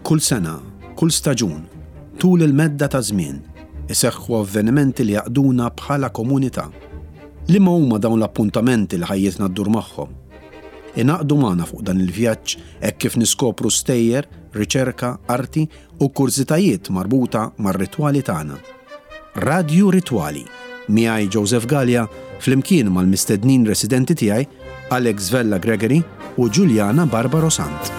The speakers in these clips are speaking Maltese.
Kull sena, kull staġun, tul il-medda ta' żmien, iseħħu avvenimenti li jgħaqqduna bħala komunità. Liema huma dawn l-appuntamenti li ħajjitna ddur magħhom? Ingħaqdu magħna fuq dan il-vjaġġ hekk kif niskopru stejjer, riċerka, arti u kurżitajiet marbuta mar-ritwali tagħna. Radju Ritwali, miegħi Joseph Galea flimkien mal-mistednin residenti tiegħi Alex Vella Gregory u Juliana Barbaro Sant.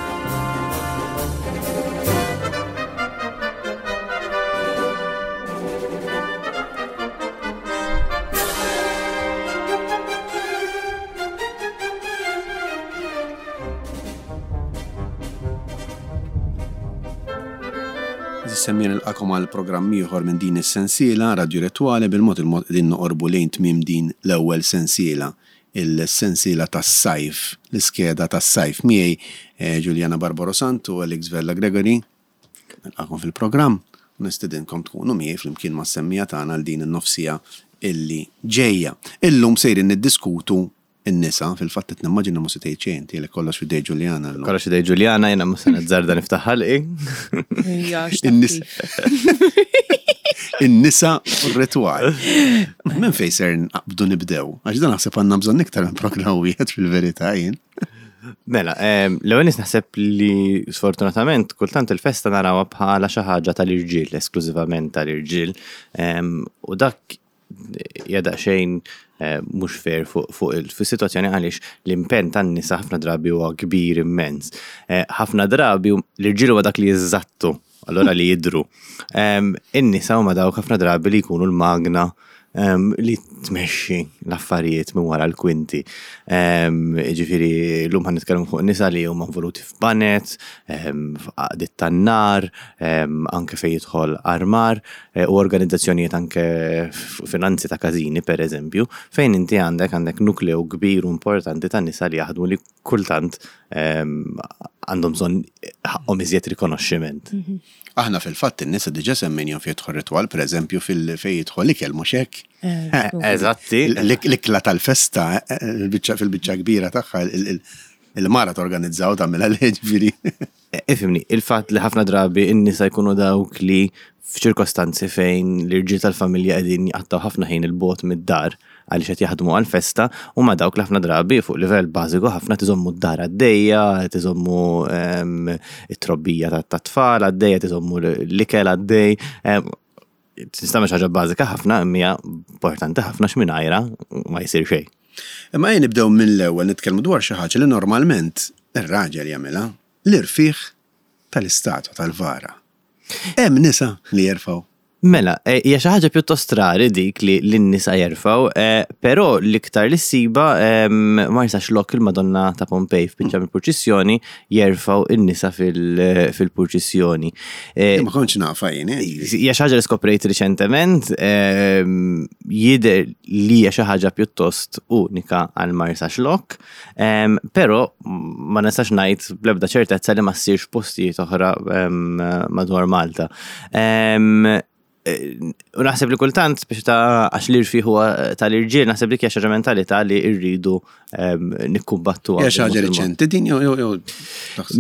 Semmi nilqakom għal programm ieħor minn din is-sensiela Radio Retwali bil-mod il-mod qegħdin noqorbu lejn tmiem din l-ewwel sensiela, il-sensiela tas-sajf, l-iskeda tas-sajf miegħi eh, Juliana Barbaro Sant u Alex Vella Gregory. Nilqakom fil-programm u nistedinkom tkunu miegħi flimkien mas-semmija tagħna għal din in-nofsija illi ġejja. Illum sejrin niddiskutu n-nisa, fil-fatt qed nimmaġina mhux se tgħid xejn inti għalhekk kollox f'idej Ġuljana llum. Kollox f'idej Ġuljana, jiena mhux se nazzarda niftaħ ħalqi. In-nisa u r-ritwal. Minn fejn ser naqbdu nibdew? Għax dan naħseb għandna bżonn iktar minn programm wieħed fil-verità jien. Mela, l-ewwel nies naħseb li sfortunatament kultant il-festa narawha bħala xi ħaġa tal-irġiel, esklużivament tal-irġiel, u dak hija daqsxejn eh, mhux fair fuq il-sitwazzjoni għaliex l-impenn tan-nisa ħafna drabi huwa kbir immens. Eh, ħafna drabi l-irġiel huwa dak li jiżżattu, allura li jidru. In-nisa huma dawk ħafna drabi li jkunu l-magna li tmexxi l-affarijiet minn wara l-kwinti. Ġifieri llum ħan nitkellmu fuq nisa li huma involuti f'banet, f'għaqdiet tan-nar, anke fejn jidħol armar eh, u organizzazzjonijiet anke finanzi ta' każini pereżempju, fejn inti għandek għandek nukleu kbir u importanti ta' nisa li jaħdmu li kultant għandhom bżonn ħaqqhom iżjed rikonoxximent. Mhm. Aħna fil-fatt in-nisa diġà semmejnihom fejn jidħol ritwal, pereżempju fil-fejn jidħol ikel mhux hekk. Eh, Eżatti. L-ikla tal-festa eh, fil-biċċa kbira tagħha il-mara torganizzaw tagħmilha ġifieri. Eh, ifimni, il-fatt li ħafna drabi n-nisa jkunu dawk li f'ċirkostanzi fejn l-irġiel tal-familja qegħdin jqattgħu ħafna ħin il-bogħod mid-dar għaliex qed jaħdmu għall-festa huma dawk li ħafna drabi fuq livell bażiku ħafna tiżommu d-dar għaddejja, tiżommu ehm, it-trobbija tat-tfal għaddejja, tiżommu l-ikel għaddej. Ehm, tista' xi ħaġa bażika ħafna imma hija importanti ħafna x'mingħajra ma jsir xejn. Imma ejja nibdew mill-ewwel nitkellmu dwar xi ħaġa li normalment ir-raġel jagħmilha, l-irfigħ tal-istatwa tal-vara. Hemm nisa li jerfgħu. Mela, eh, hija xi ħaġa pjuttost rari dik li l-nisa jerfgħu, eh, però l-iktar li ssiba ehm, ma jistax lok il-Madonna ta' Pompej f'biċċa mill-purċissjoni jerfgħu n-nisa fil-purċissjoni. Eh, ma kontx nafa jien. Hija xi ħaġa li skoprejt riċentement, ehm, jidher li hija xi ħaġa pjuttost unika għal Marsa Xlokk. Però ma nistax ngħid bl-ebda ċertezza li ma ssirx postijiet oħra madwar Malta. U naħseb li kultant biex ta' għax l-irfi huwa tal-irġiel, naħseb li hija xi mentalità li rridu nikkumbattu. Hija xi ħaġa riċenti din jew jew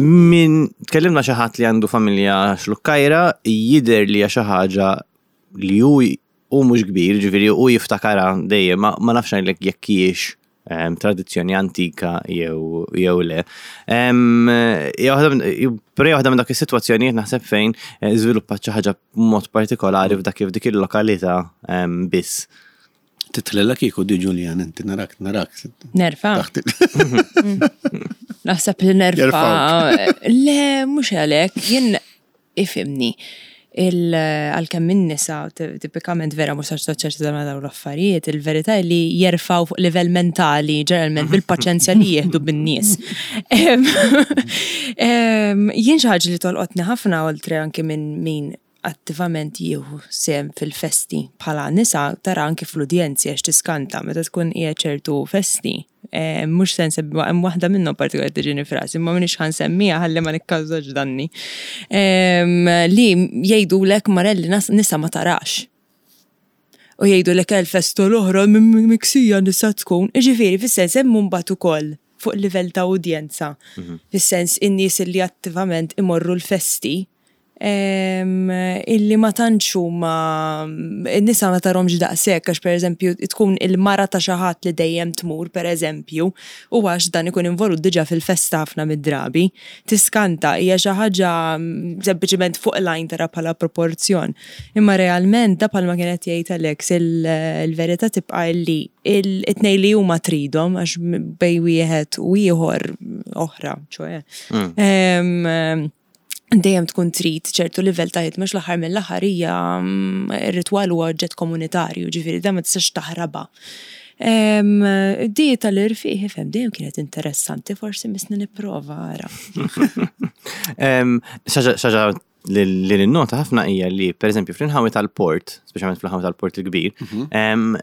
Min tkellimna xi ħadd li għandu familja xlukkajra, jidher li hija xi ħaġa li hu hu mhux kbir, ġifieri hu jiftakarha dejjem, ma nafx ngħidlek jekk hijiex ehm, tradizzjoni antika jew jew le. Ehm, però waħda minn dak is-sitwazzjonijiet naħseb fejn eh, żviluppat xi ħaġa b'mod partikolari f'dak f'dik il-lokalità ehm, biss. Titlella kieku di Julian, inti narak, narak. Nerfa. Naħseb li nerfa. Le, mhux għalhekk, jien Ifhimni, għalkemm in-nisa tipikament vera mhux assoċjati ma' dawn l-affarijiet, il-verità hi li jerfgħu fuq livell mentali ġeneralment bil-paċenzja li jieħdu bin-nies. Jien xi ħaġa li tolqotni ħafna oltre anki minn min attivament jieħu sehem fil-festi bħala nisa tara anki fl-udjenzi għax tiskanta meta tkun qiegħed ċertu festi Mhux se nsemmi, hemm waħda minnhom partikolari tiġini frasi, imma m'iniex ħa nsemmiha ħalli ma nikkawżax danni. Li jgħidulek Marelli nisa ma tarax. U jgħidulek il-festa l-oħra miksija nisa tkun. Jiġifieri fis-sens hemm imbagħad ukoll fuq livell ta' udjenza. Fis-sens in-nies li attivament imorru l-festi. Illi ma tantx huma n-nisa ma tarhomx daqshekk għax pereżempju tkun il-mara ta' xi ħadd li dejjem tmur pereżempju u għax dan ikun involut diġà fil-festa ħafna mid-drabi. Tiskanta, hija xi ħaġa sempliċement fuq l-għajn tara bħala proporzjon. Imma realment da bħalma kien qed jgħid Alex il-verità tibqa' illi it-tnejn li huma tridhom għax bejn wieħed u ieħor oħra, ċoe. Mm. Dejjem tkun trid ċertu livell ta' ħidma l-aħħar mill-aħħar hija r-ritwal huwa oġġett komunitarju, ġifieri dan ma tistax taħrabha. Di tal-irfiq ifhem dejjem kienet interessanti, forsi misni nipprova ara. Xaġa li ninnota ħafna hija li pereżempju fl-inħawi tal-port, speċjalment fl-inħawi tal-port il-kbir, mhm.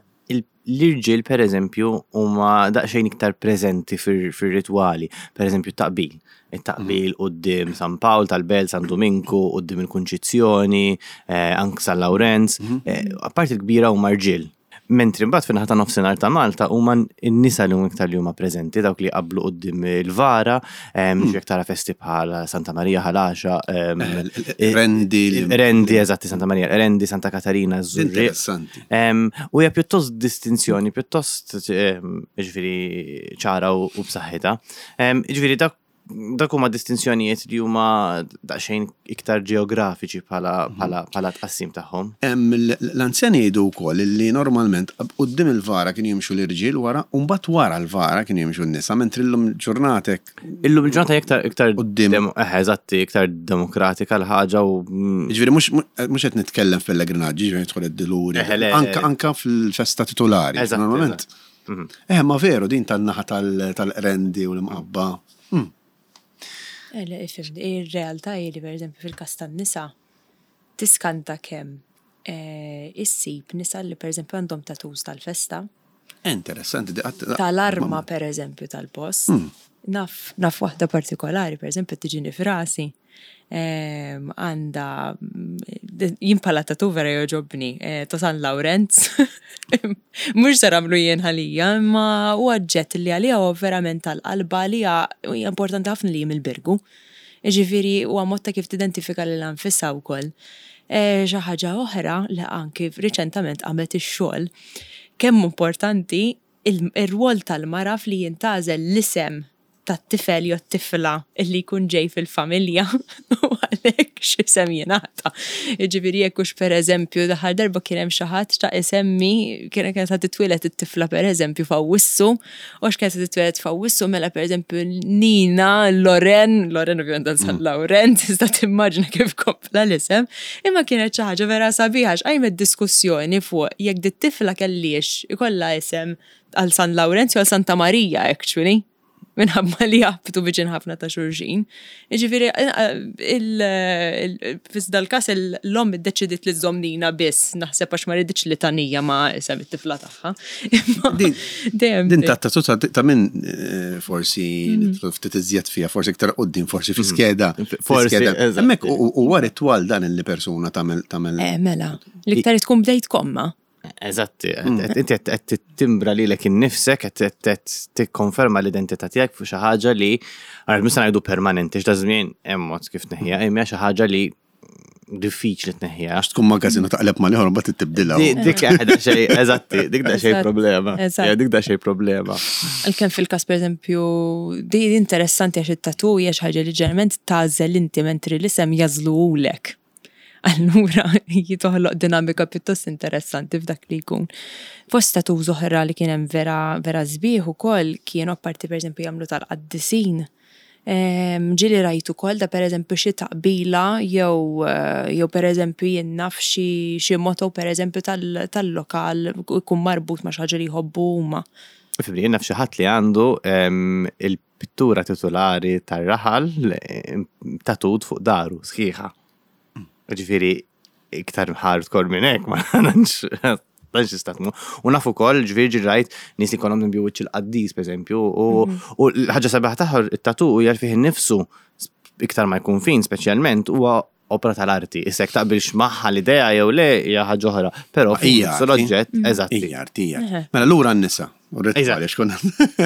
L-irġiel pereżempju huma daqsxejn iktar preżenti fir-ritwali, pereżempju t-taqbil. It-taqbil quddiem San Pawl tal-Belt, San Duminku, quddiem il-Kunċizzjoni, anke San Lawrenz, apparti l-kbira huma rġiel. Mentri mbagħad fin-naħa ta' nofsinhar ta' Malta huma n-nisa li huma iktar li huma preżenti, dawk li jqabblu quddiem il-vara, jekk tara festi bħal Santa Marija Ħal Għaxaq. Rendi. Rendi, eżatti, Santa Marija, Rendi, Santa Katarina, Żurrieq. Interessanti. U hija pjuttost distinzjoni, pjuttost ġifieri ċara u b'saħħitha. Ġifieri dak dak huma distinzjonijiet li huma daqsxejn iktar ġeografiċi bħala bħala tqassim tagħhom. L-anzjani jgħidu wkoll li normalment quddiem il-vara kienu jimxu l-irġiel wara u mbagħad wara l-vara kienu jimxu n-nisa, mentri llum il-ġurnata hekk. Illum il-ġurnata iktar iktar quddiem. Eħe, eżatti, iktar demokratika l-ħaġa u. Jiġifieri mhux mhux qed nitkellem f'pellegrinaġġi, jiġifieri nidħol id-Duluri. Eħe, le. Anke anke fil-festa titulari. Eżatt. Normalment. Eh, ma veru din tan-naħa tal-qrendi u l-imqabba. Eh, le, ifhem, ir-realtà hi li pereżempju fil-każ tan-nisa tiskanta kemm issib nisa li pereżempju għandhom tattoos tal-festa. Interessanti, di qatt. Tal-arma pereżempju tal-post. Naf, naf waħda partikolari pereżempju tiġini f'rasi. Għandha, jien bħala tattoo vera jogħġobni, ta' San Lawrenz. Mhux se nagħmlu jien għalija, imma huwa oġġett li għalija huwa verament tal-qalba għalija hija importanti ħafna li hi mill-Birgu. Jiġifieri huwa mod ta' kif tidentifika lilha nfisha wkoll. Xi ħaġa oħra li anki riċentament qamet ix-xogħol, kemm hu importanti ir-rwol tal-mara f'li jintgħażel l-isem tat-tifel jew t-tifla li jkun ġej fil-familja u għalhekk x'isem jingħata. Jiġifieri jekk hux pereżempju l-aħħar darba kien hemm xi ħadd xtaq isemmi kien kienet ħa titwieled it-tifla pereżempju f'Awwissu u għax kienet se titwieled f'Awwissu mela pereżempju Nina Loren, Loren ovvjament għal San Lawrenz, tista' timmaġina kif kompla l-isem, imma kienet xi ħaġa vera sabiħa għax qajmet diskussjoni fuq jekk dit-tifla kellhiex ikollha isem għal San Lawrenz jew għal Santa Marija actually minħabba li jaħbtu viċin ħafna ta' xulxin. Jiġifieri fis dal-każ l-omm iddeċidiet li żżomm Nina biss, naħseb għax ma riditx litanija ma' isem it-tifla tagħha. Din ta' ta' ta' min eh, forsi mhm. nidħlu ftit iżjed fiha, forsi iktar quddiem, forsi fi mhm. skeda. Forsi. Hemmhekk huwa ritwal dan li persuna tagħmel tagħmel. Eh, mela, l-iktar tkun bdejt komma. Eżatti, inti qed timbra lilek innifsek, qed tikkonferma l-identità tiegħek fuq xi ħaġa li għal mhux se ngħidu permanenti x'da żmien hemm mod kif tneħħiha, imma xi ħaġa li diffiċli tneħħiha. Għax tkun magażin u taqleb mal ieħor mbagħad tibdilha. Dik xejn, eżatti, dik da xejn problema. Dik da xejn problema. Għalkemm fil-każ pereżempju, di interessanti għax it-tattoo hija xi ħaġa li ġeneralment tagħżel inti mentri l-isem jażluhulek. Allura jitoħloq dinamika pjuttost interessanti f'dak li jkun. Fost tattoos oħra li kien hemm vera vera sbieħ ukoll kienu apparti pereżempju jagħmlu tal-qaddisin. Ehm, ġieli rajt ukoll da pereżempju xi taqbila jew jew pereżempju jien naf xi xi motto pereżempju tal-lokal ikun marbut ma' xi ħaġa li jħobbu huma. Fibri, jien naf xi ħadd li għandu ehm, il-pittura titulari tar-raħal tatut fuq daru sħiħa. Ġifieri iktar hardcore minn hekk ma nantx tantx tista' tmur. U naf ukoll ġifieri ġi rajt nies li jkollhom nbiju wiċċ il-qaddis pereżempju u mhm. l-ħaġa sabiħa tagħha it-tatu hija fih innifsu iktar ma jkun fin speċjalment huwa opra tal-arti. Issa jekk taqbilx magħha l-idea jew le hija ħaġa oħra, però hija l-oġġett mm. eżatt. Hija arti, hija. Mela lura n-nisa. Għaliex konna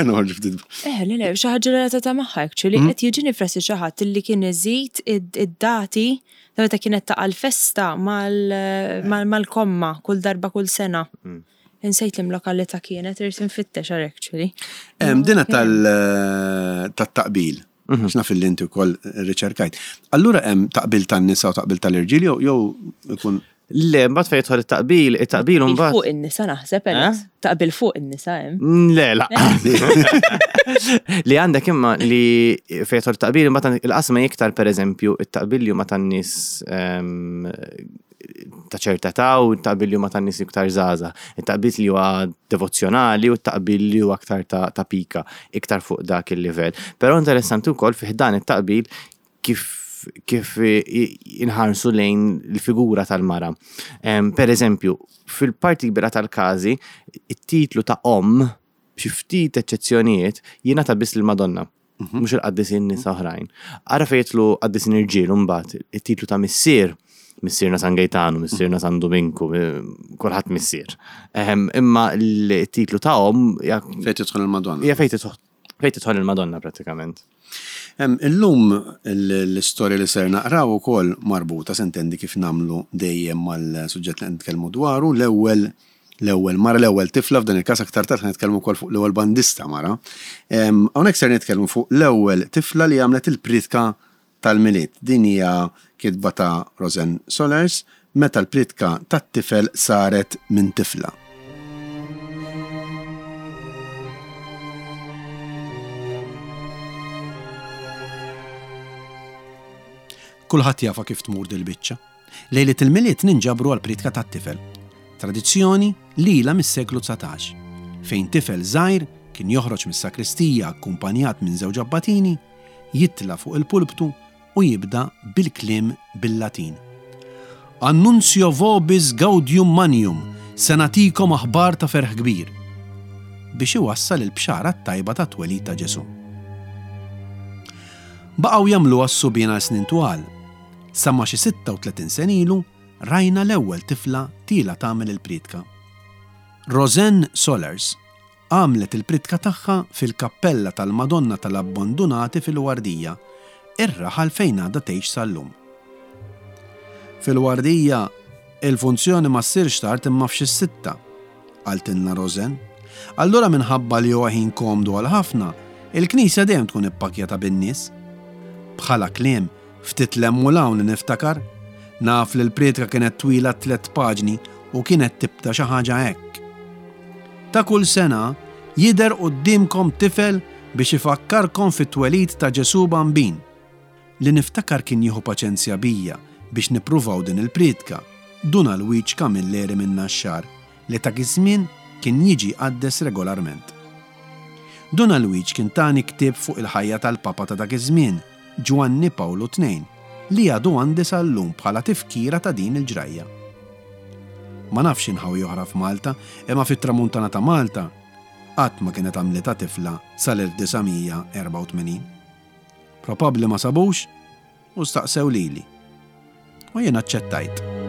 noħorġu ftit. Eh, le, le, xi ħaġa relatata magħha actually mm. qed jiġini frasi xi ħadd li kien iżid id-dati Ta' meta kienet taqa' l-festa mal-komma kull darba kull sena. Mm. Insejt li lokalità kienet, irrid infittex għar actually. Dina tal-taqbil, mhm. x'naf li inti wkoll riċerkajt. Allura hemm taqbil tan-nisa u taqbil tal-irġiel jew ikun Le, mbagħad fejn jidħol it-taqbil, it-taqbil mbagħad. Fuq in-nisa naħseb, eh? Taqbil fuq in-nisa hemm. Mm, le, la. Li għandek imma li fejn jidħol it-taqbil imbagħad il-qasma iktar pereżempju it-taqbil li huma tan-nies ehm, ta' ċerta età u t-taqbil li huma tan-nies iktar żgħażagħ. It-taqbil li huwa devozzjonali u t-taqbil li huwa aktar ta' pika, iktar fuq dak il-livell. Però interessanti wkoll fih dan it-taqbil kif kif inħarsu lejn il-figura tal-mara. Per eżempju, fil-parti kbira tal-każi, it-titlu ta' omm, b'xi ftit eċċezzjonijiet, jingħata biss lill-Madonna, mhm. mhux il-qaddisin nisa oħrajn. Ara fejn jidħlu qaddisin irġiel mbagħad it-titlu ta' missier, missierna San Gejtanu, missierna San Duminku, kulħadd missier. Imma l-titlu ta' omm fejn tidħol il-Madonna. Hija fejn tidħol Fejn tidħol il-Madonna prattikament. Illum l-istorja li ser naqraw ukoll marbuta sintendi kif nagħmlu dejjem mal-suġġett li qed nitkellmu dwaru, l-ewwel l-ewwel mara, l-ewwel tifla f'dan il-każ aktar tard ħa nitkellmu wkoll fuq l-ewwel bandista mara. Hawnhekk ser nitkellmu fuq l-ewwel tifla li għamlet il-priedka tal-Milied. Din hija kitba ta' Rosanne Solers, Meta l-priedka tat-tifel saret minn tifla. Kulħadd jafha kif tmur dil-biċċa. Lejliet il-Milied ninġabru għall-priedka tat-tifel. Tradizzjoni li ilha mis-seklu 19, fejn tifel żgħir kien joħroġ mis-sakristija akkumpanjat minn żewġ abbatini, jitla' fuq il-pulptu u jibda bil-kliem bil-Latin. Annuncio vobis gaudium magnum, se nagħtikom aħbar ta' ferħ kbir, biex iwassal il-bxara t-tajba tat-twelid ta' Ġesù. Baqgħu jagħmluha s-subien għal snin twal, sa ma xi 36 sena ilu rajna l-ewwel tifla tiela' tagħmel il-priedka. Rosanne Solers Għamlet il-priedka tagħha fil-kappella tal-Madonna tal-Abbandunati fil-Wardija, ir-raħal fejn għadha tgħix sal-lum. Fil-Wardija, il-funzjoni ma ssirx tard imma f'xi s-sitta, qaltilna Rosanne. Allura minħabba li huwa ħin komdu għal ħafna, il-knisja dejjem tkun ippakkjata bin-nies. Bħala kliem, Ftit 'l hemm u 'l hawn li niftakar. Naf li l-prietka kienet twila tlett paġni u kienet tibda xi ħaġa hekk. Ta' kull sena jidher quddiemkom tifel biex ifakkarkom fit-twelid ta' Ġesù Bambin. Li niftakar kien jieħu paċenzja bija biex nippruvaw din il-prietka, Dun Alwiġ Camilleri min-Naxxar li dak iż-żmien kien jiġi jqaddes regolarment. Dun Alwiġ kien tani ktieb fuq il-ħajja tal-Papa ta' dak iż-żmien, Ġwanni Pawlu Tnejn, li għadu għandi sal-lum bħala tifkira ta' din il-ġrajja. Ma nafx inħawi oħra f'Malta, imma fit-Tramuntana ta' Malta qatt ma kienet għamlitha tifla sal-1984. Probabbli ma sabux U staqsew lili. U jien aċċettajt.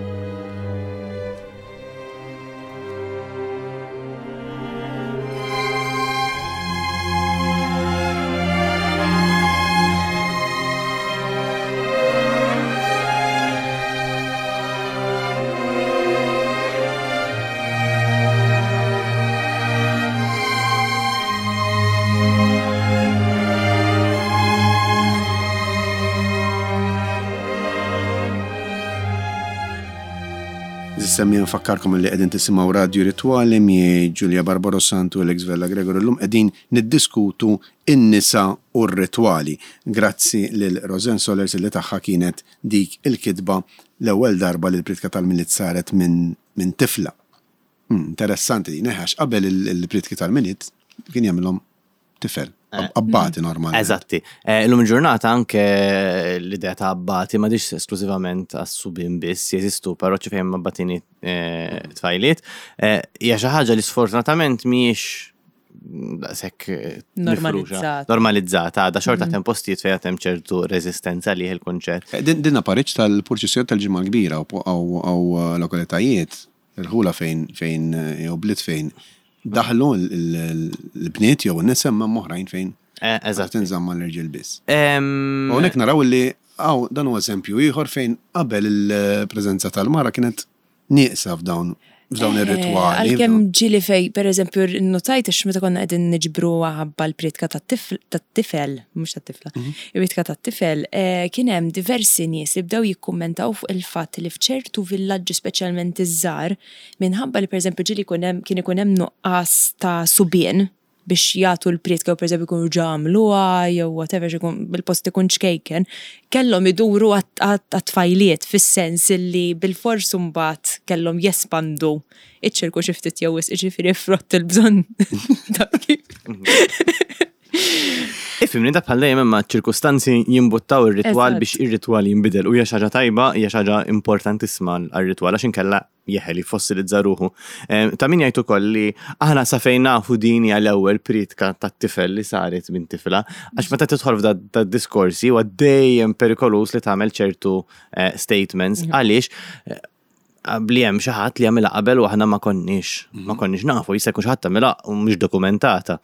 Semmi nfakkarkom li qegħdin tisimgħu Radju Ritwali miegħi Giulia Barbaro Santu u Alex Vella Gregor illum qegħdin niddiskutu n-nisa u r-ritwali. Grazzi lil Rosanne Solers li tagħha kienet dik il-kitba l-ewwel darba li l-priedka tal-Milied saret minn minn tifla. Hmm, interessanti din, eh, għax qabel il-priedki tal-Milied kien jagħmilhom tifel. Eh, abbati normali. Eżatti. Eh, illum il-ġurnata anke l-idea ta' abbati ma diċ esklusivament għas-subin biss, jeżistu parroċċi fejn abbatini eh, tfajliet. Hija xi ħaġa li sfortunatament mhijiex daqshekk normalizzata. Normalizzata, għadha xorta mm. hemm postijiet fejn hemm ċertu reżistenza li il-kunċett. Din apariċ tal-purċissjoni tal-ġimgħa kbira u lokalitajiet irħula fejn fejn jew bliet fejn daħlu l-bniet jew in-nisa imma hemm oħrajn fejn eh, eżatt tinżamm mal-irġiel biss. Hawnhekk naraw li. hawn dan huwa eżempju ieħor fejn qabel il-preżenza tal-mara kienet nieqsa f'dawn f'dawn eh, ir-ritwali. Għalkemm ġieli fej, per eżempju, notajt għax meta konna qegħdin niġbru ħabba l-prietka tat-tifel, mhux tat-tifla, mhm. il-prietka tat-tifel, eh, kien hemm diversi nies li bdew jikkummentaw fuq il-fatt li f'ċertu villaġġi speċjalment iż-żgħar, minħabba li pereżempju ġieli kien ikun hemm nuqqas ta' subien biex jagħtu l-prietka jew pereżempju jkunu ġa għamluha jew whatever x'ikun bil-post ikun ċkejken, kellhom iduru għat-tfajliet fis-sens illi bilfors imbagħad kellhom jespandu iċ-ċirku xi ftit jew wisq, jiġifieri frott il-bżonn ta' kif. Ifhimni da bħal dejjem imma ċ-ċirkustanzi jimbuttaw ir-ritwal biex ir-ritwal jinbidel u hija xi ħaġa tajba, hija xi ħaġa importantissima għar-ritwal għax inkella jeħel jiffossilizza ruħu. Ta' min jgħid ukoll li aħna sa fejn nafu din hija l-ewwel priedka tat-tifel li saret minn tifla, għax meta tidħol f'da diskorsi huwa dejjem perikoluż li tagħmel ċertu eh, statements mhm. għaliex eh, li hemm xi ħadd li għamilha qabel u aħna ma konniex ma mhm. konniex nafu, jista' jkun xi ħadd tagħmilha u mhux dokumentata.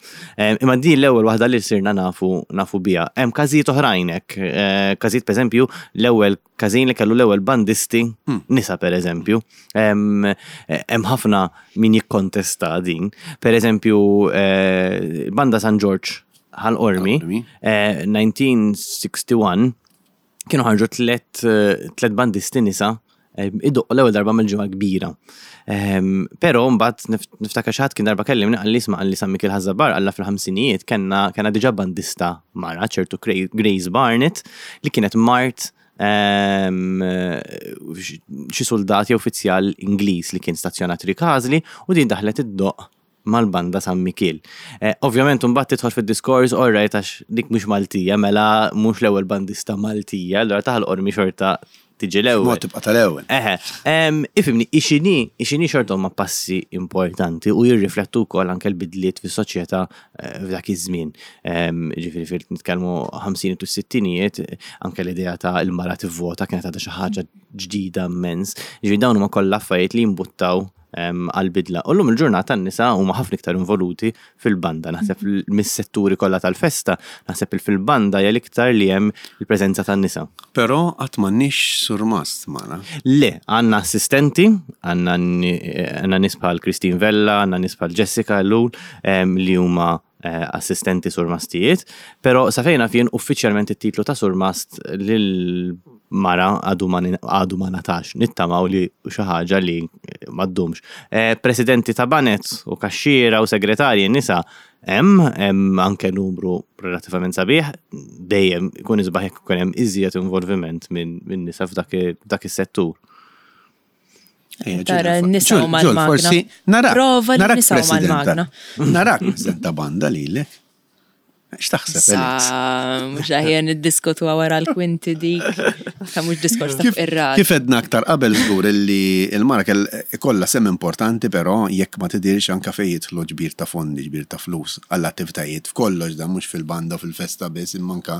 Imma din l-ewwel waħda li sirna nafu nafu biha. Hemm każijiet oħrajn hekk, eh, każijiet pereżempju l-ewwel każin li kellu l-ewwel bandisti hmm. nisa pereżempju. Hemm ħafna min jikkontesta din. Pereżempju eh, banda San Ġorġ Ħal Qormi, 1961 eh, kienu ħarġu tlet eh, bandisti nisa idoqqu l-ewwel darba mill-ġimgħa kbira. Ehm, però mbagħad niftakar xi ħadd kien darba kellimni qalli isma' qalli San Mikiel Ħaż-Żabbar alla fil-ħamsinijiet kellna kellna diġà bandista mara ċertu Grace Barnett li kienet mart ehm, xi suldat jew uffiċjal Ingliż li kien stazzjonat Rikażli u din daħlet iddoqq mal-banda San Mikiel. Eh, ovvjament imbagħad tidħol fid-diskors all right għax dik mhux Maltija, mela mhux l-ewwel bandista Maltija, allura ta' Ħal Qormi xorta tiġi l-ewwel. Mod tibqa' tal-ewwel. Eħe, ifhimni, ixini, ixini xorta huma passi importanti u jirriflettu wkoll anke l-bidliet fis-soċjetà eh, f'dak iż-żmien. Ġifieri fil nitkellmu 50 u sittinijiet, anke l-idea ta' il-mara tivvota kienet għadha xi ħaġa ġdida immens. Ġifieri dawn huma kollha affarijiet li jimbuttaw għall-bidla. U llum il-ġurnata n-nisa huma ħafna iktar involuti fil-banda. Naħseb mis-setturi kollha tal-festa, naħseb il fil-banda hija l-iktar li hemm il-preżenza tan-nisa. Però qatt m'għandniex surmast magħna. Le, għandna assistenti, għandna nies bħal Christine Vella, għandna nies bħal Jessica Ellul li huma assistenti surmastijiet, però sa fejn naf jien uffiċjalment it-titlu ta' surmast lil mara għadu ma għadu ma ngħatax. Nittamaw li xi ħaġa li ma ddumx. Eh, presidenti ta' banet u kaxxiera u segretarji nisa hemm, hemm anke numru relattivament sabiħ, dejjem ikun isbaħ jekk ikun hemm iżjed involviment minn min nisa f'dak is-settur. Tara n-nisa u mal-magna. Forsi narak. Prova li nisa u mal-magna. Narak president ta' banda lilek. X'taħseb? Sa, mhux aħjar niddiskutu wara l-kwinti dik. Ta' mhux diskors ta' irrad. Kif edna aktar qabel żgur illi l-mara kell ikollha sem importanti però jekk ma tidirx anke fejn jidħlu ġbir ta' fondi, ġbir ta' flus għall-attivitajiet f'kollox dan mhux fil-banda u fil-festa biss imma anke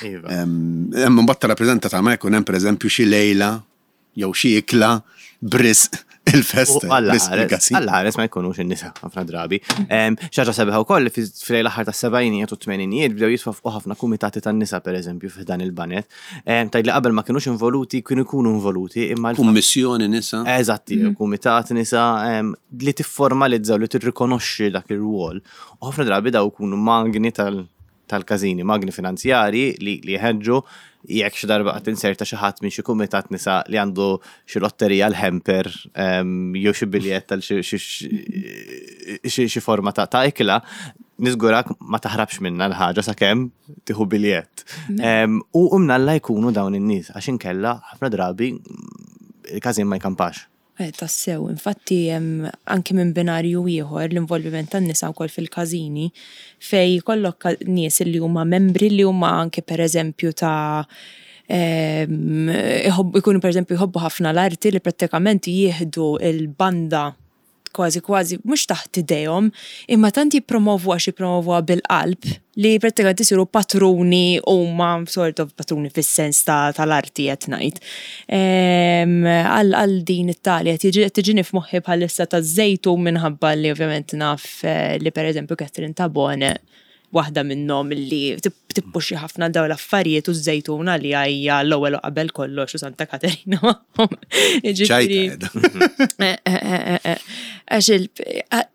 Iva. Hemm imbagħad tirrappreżenta tagħmel jkun hemm pereżempju xi lejla jew xi ikla b'risq il-festa. Alla ħares ma jkunux in-nisa ħafna drabi. Xi ħaġa sabiħa wkoll li fil l-aħħar tas-sebgħinijiet u t-tmeninijiet bdew jitwaffqu ħafna kumitati tan-nisa pereżempju f'dan il-banet. Tgħid li qabel ma kinux involuti, kienu jkunu involuti imma. Kummissjoni nisa. Eżatti, mhm. kumitat nisa li tifformalizza u li tirrikonoxxi dak ir-rwol. U ħafna drabi daw ikunu magni tal- tal-każini, magni finanzjarji li jħeġġu jekk xi darba qatt inserta xi ħadd minn xi kumitat nisa li għandu xi lotterija l-hamper ehm, jew xi biljett għal xi forma ta' ikla, niżgurak ma taħrabx minna l-ħaġa sakemm tieħu biljett. Ehm, u mnalla jkunu dawn in-nies għax inkella ħafna drabi il-każin ma jkampax. Eh, tassew, infatti anki minn binarju ieħor l-involviment tan-nisa wkoll fil-każini fejn jkollok nies li huma membri li huma anke pereżempju ta' ikunu pereżempju jħobbu ħafna l-arti li prattikament jieħdu l-banda kważi kważi mhux taħt idejhom, imma tant jippromovuha għax jippromovuha bil-qalb li prattikament isiru patruni huma sort of patruni fis-sens tal-arti qed ngħid. Għal din it-tali qed tiġini f'moħħi bħalissa taż-Żejtun minħabba li ovvjament naf eh, li pereżempju Catherine Tabone waħda minnhom li tippuxxi ħafna dawn l-affarijiet u ż-Żejtun għaliha hija l-ewwel u qabel kollox u Santa Katerina magħhom. Jiġifieri. Eh, eh, eh, Għax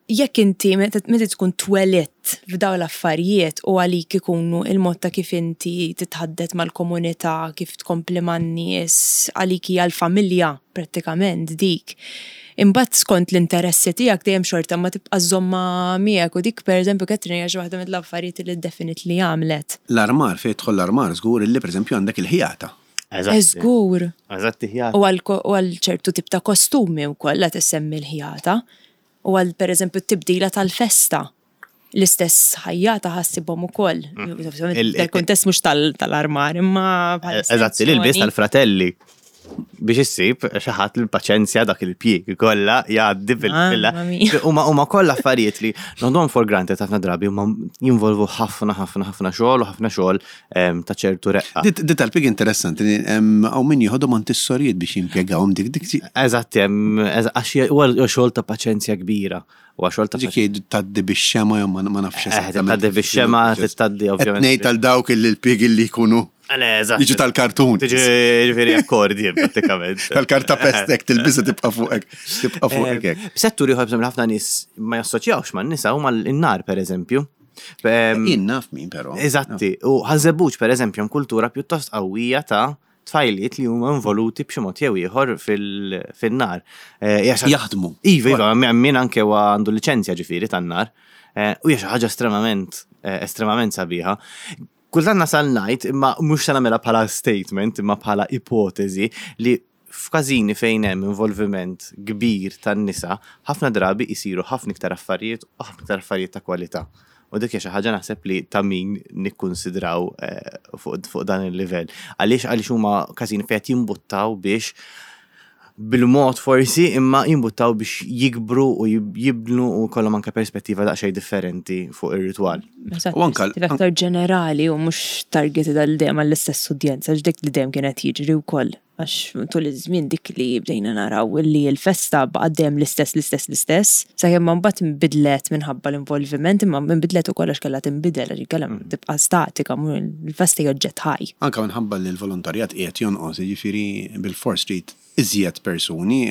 jekk inti meta tkun twelidt f'dawn l-affarijiet u għalik ikunu il-mod ta' kif inti titħaddet mal-komunità, kif tkompli man-nies, għalik hija l-familja prattikament dik. Imbagħad skont l-interessi tiegħek dejjem xorta ma tibqa' żżommha miegħek u dik pereżempju Catherine hija xi waħda mill-affarijiet li definitely għamlet. L-armar, fejn jidħol l-armar żgur illi pereżempju għandek il-ħjata. Eżatt. Żgur. Eżatt ħjata. U għal ċertu tip ta' kostumi wkoll qed issemmi l-ħjata. U għal pereżempju t-tibdila tal-festa. L-istess ħajjata ħassibhom ukoll. Il-kuntest mhux tal-armar imma Eżatt, l-ilbies tal-fratelli biex issib xi ħadd l-paċenzja dak il-pjieg kollha jgħaddi fil-filla. Huma huma kollha affarijiet li noħduhom for granted ħafna drabi huma jinvolvu ħafna ħafna ħafna xogħol u ħafna xogħol ta' ċertu reqqa. Di tal-pig interessanti, hawn min jieħodhom għand is-sorijiet biex jimpjegawhom dik dik. Eżatt, għax huwa xogħol ta' paċenzja kbira. Huwa xogħol ta' Dik jgħidu tgħaddi bix-xema jew ma nafx eh, Tgħaddi bix-xema, tgħaddi ovvjament. Ngħid għal dawk li l-pig li jkunu Jiġu tal-kartun. Tiġi ġifieri akkordi prattikament. Tal-karta pestek tilbisa tibqa' fuqek. Tibqa' fuqek hekk. Settur ieħor ħafna nies ma jassoċjawx man-nisa huma l-nar pereżempju. Jien naf min però. Eżatti, u Ħaż-Żebbuġ pereżempju hemm kultura pjuttost qawwija ta' tfajliet li huma involuti b'xi mod jew ieħor fil-nar. Eh, Jaħdmu. Iva, iva, min anke huwa għandu liċenzja ġifieri tan-nar. Eh, u hija xi ħaġa estremament eh, estremament sabiħa. Kultant nasal ngħid, imma mhux se nagħmilha bħala statement, imma bħala ipoteżi li f'każini fejn hemm involviment kbir tan-nisa, ħafna drabi jsiru ħafna iktar affarijiet u ħafna iktar affarijiet ta' kwalità. U dik hija xi ħaġa naħseb li ta' min nikkunsidraw eh, fuq dan il-livell. Għaliex għaliex huma każini fejn qed jimbuttaw biex bil-mod forsi imma jimbuttaw biex jikbru u jibnu u kollhom anke perspettiva daqsxejn differenti fuq ir-ritwal. U anke aktar ġenerali u mhux targeted għal dejjem għall-istess udjenza ġdek li dejjem kienet jiġri wkoll. Għax tul iż-żmien dik li bdejna naraw li l-festa baqgħet dejjem l-istess, l-istess, l-istess, sakemm ma mbagħad inbidlet minħabba l-involviment, imma inbidlet ukoll għax kellha tinbidel għax inkella tibqa' statika, il-festa hija oġġett ħaj. Anke minħabba li l-volontarjat qiegħed jonqos, jiġifieri bilfors trid iżjed persuni.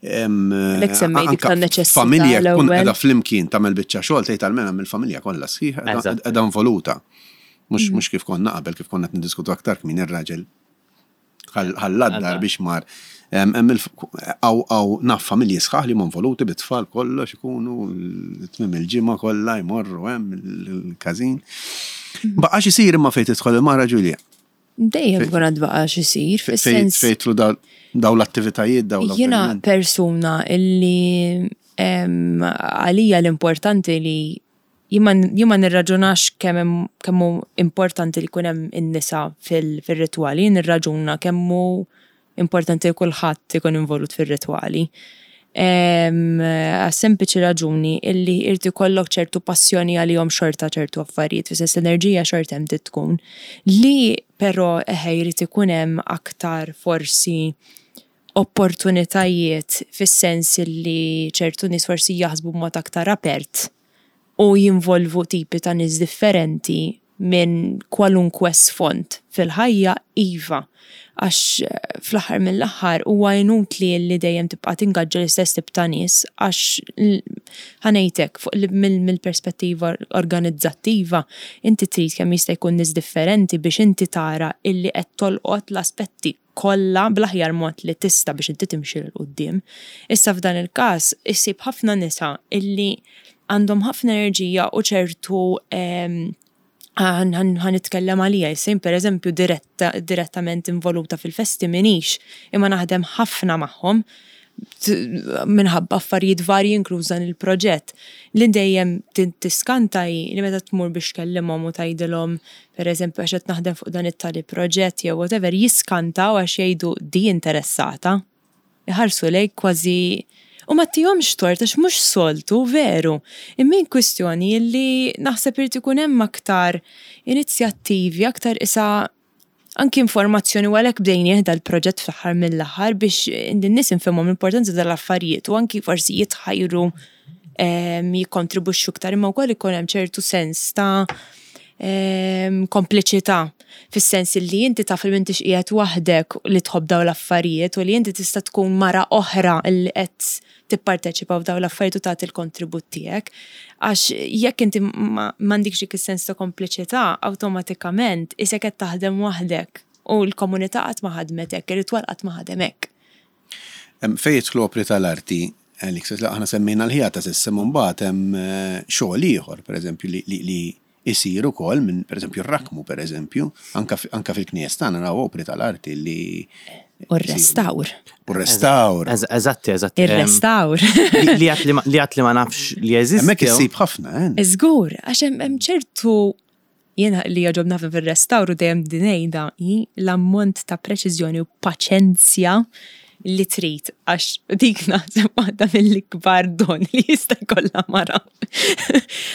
Għalhekk semmejt dik tan-neċessità. Familja tkun qiegħda flimkien tagħmel biċċa xogħol tgħid almenu hemm il-familja kollha sħiħa qiegħda involuta. Mhux kif konna qabel, kif konna qed niddiskutu aktar kmieni r-raġel ħalla d-dar biex mar. Hawn naf familji sħaħ li huma involuti bit-tfal kollox ikunu tmiem il-ġimgħa kollha jmorru hemm il-każin. Baqax isir imma fejn tidħol il-mara Ġulja. Dejjem ikun għad baqax isir, fis-sens. Fejn jidħlu dawn l-attivitajiet, dawn l Jiena persuna illi għalija l-importanti li Jien ma nirraġunax kemm kemm hu importanti li jkun hemm in-nisa fir-ritwali, jien nirraġuna kemm hu importanti li kulħadd ikun involut fir-ritwali. Għas-sempliċi raġuni illi irid ikollok ċertu passjoni għalihom xorta ċertu affarijiet, fis-sens l-enerġija xorta hemm trid tkun. Li però eħe jrid ikun hemm aktar forsi opportunitajiet fis-sens illi ċertu nies forsi jaħsbu b'mod aktar apert u jinvolvu tipi ta' nies differenti minn kwalunkwe sfond fil-ħajja, iva. Għax fl-aħħar mill-aħħar huwa inutli li dejjem tibqa' tingaġġa l-istess tip ta' nies għax ħa ngħid hekk fuq mill-perspettiva organizzattiva inti trid kemm jista' jkun nies differenti biex inti tara illi qed tolqot l-aspetti kollha bl-aħjar mod li tista' biex inti timxi 'l quddiem. Issa f'dan il-każ issib ħafna nisa illi għandhom ħafna enerġija u ċertu ħa nitkellem għalija issa jien pereżempju diretta direttament involuta fil-festi m'iniex imma naħdem ħafna magħhom minħabba affarijiet varji inkluż dan il-proġett. Li dejjem tiskanta hi li meta tmur biex tkellimhom u tgħidilhom pereżempju għax qed naħdem fuq dan it-tali proġett jew whatever jiskantaw għax jgħidu di interessata. Iħarsu lejk kważi u ma ttihomx tort għax mhux soltu veru. Imma hi kwistjoni li naħseb irid ikun hemm aktar inizjattivi, aktar isa anki informazzjoni u għalhekk bdejnieh dal-proġett fl-aħħar mill-aħħar biex in-nies infehmhom l-importanza tal-affarijiet u anki forsi jitħajru jikkontribwixxu iktar imma wkoll ikun hemm ċertu sens ta' kompliċità fis-sens li inti taf li m'intix qiegħed waħdek li tħobb dawn l-affarijiet u li inti tista' tkun mara oħra li qed tipparteċipa f'dawn l-affarijiet u tagħti l-kontribut tiegħek. Għax jekk inti m'għandikx dik is-sens ta' kompliċità, awtomatikament isek qed taħdem waħdek u l-komunità qatt ma ħadmet hekk, ir-ritwal qatt ma ħadem hekk. Fejn jidħlu opri tal-arti, Alex, aħna semmejna l-ħjata s'issa, imma mbagħad hemm xogħol ieħor, pereżempju, li jsir ukoll minn, pereżempju, r-rakmu, pereżempju, anke fil-knejjes tagħna naraw opri tal-arti li. U r-restawr. U r-restawr. Eżatti, eżatti. Ir-restawr. Li għad li ma nafx li jeżisti. Hemmhekk issib ħafna, eh? Żgur, għax hemm ċertu Jiena li jogħġobni ħafna fir-restawr u dejjem din ngħidha hi l-ammont ta' preċiżjoni u paċenzja li trid għax dik naħseb waħda mill-ikbar don li jista' jkollha mara.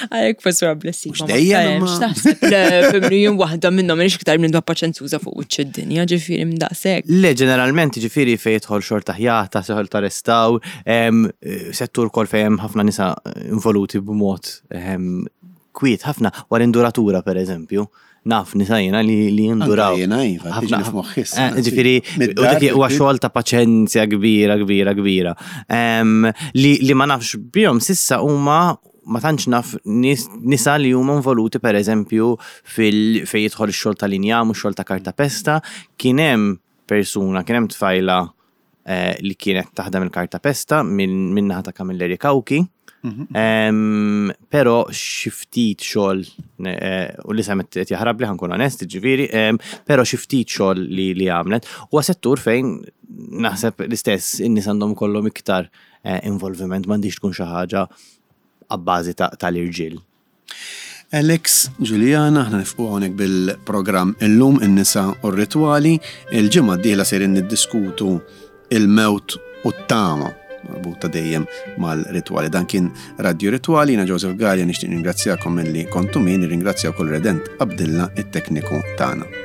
Għalhekk forsi huwa blessing. Mhux dejjem imma. Taħseb le fimni jien waħda minnhom m'iniex iktar minn paċenzjuża fuq wiċċ id-dinja, ġifieri minn daqshekk. Le ġeneralment ġifieri fejn jidħol xogħol ta' ħjata, xogħol ta' restawr, settur ukoll fejn hemm ħafna nisa involuti b'mod Kwiet ħafna, wara induratura per eżempju, naf nisa jiena li li jinduraw. Jiena iva, tiġi f'moħħi issa. Eh, ġifieri, u dak huwa xogħol ta' paċenzja kbira, kbira, kbira. Li, li ma nafx bihom sissa huma ma tantx naf nisa li huma involuti per eżempju fil fejn jidħol ix-xogħol tal-injam u x-xogħol ta' kartapesta, kien hemm persuna, kien hemm tfajla eh, li kienet taħdem il-kartapesta minn naħa ta' Camilleri Cauchi. Mhm. Pero xi ftit xogħol eh, u li semet qed jaħrab li ħankun onest, ġifieri, pero xi ftit xogħol li li għamlet huwa settur fejn naħseb l-istess in-nies għandhom kollhom iktar eh, involviment m'għandix tkun xi ħaġa abbażi tal-irġiel. Alex, Juliana, aħna nifqu hawnhekk bil-programm Illum in-nisa u r-ritwali. Il-ġimgħa d-dieħla sejrin niddiskutu il-mewt u t-tama marbuta dejjem mal-ritwali. Dan kien Radio Ritwali, jiena Joseph Gallia nixtieq ningrazzjakom milli kontu min, nirringrazzja wkoll Redent Abdilla it-tekniku tagħna.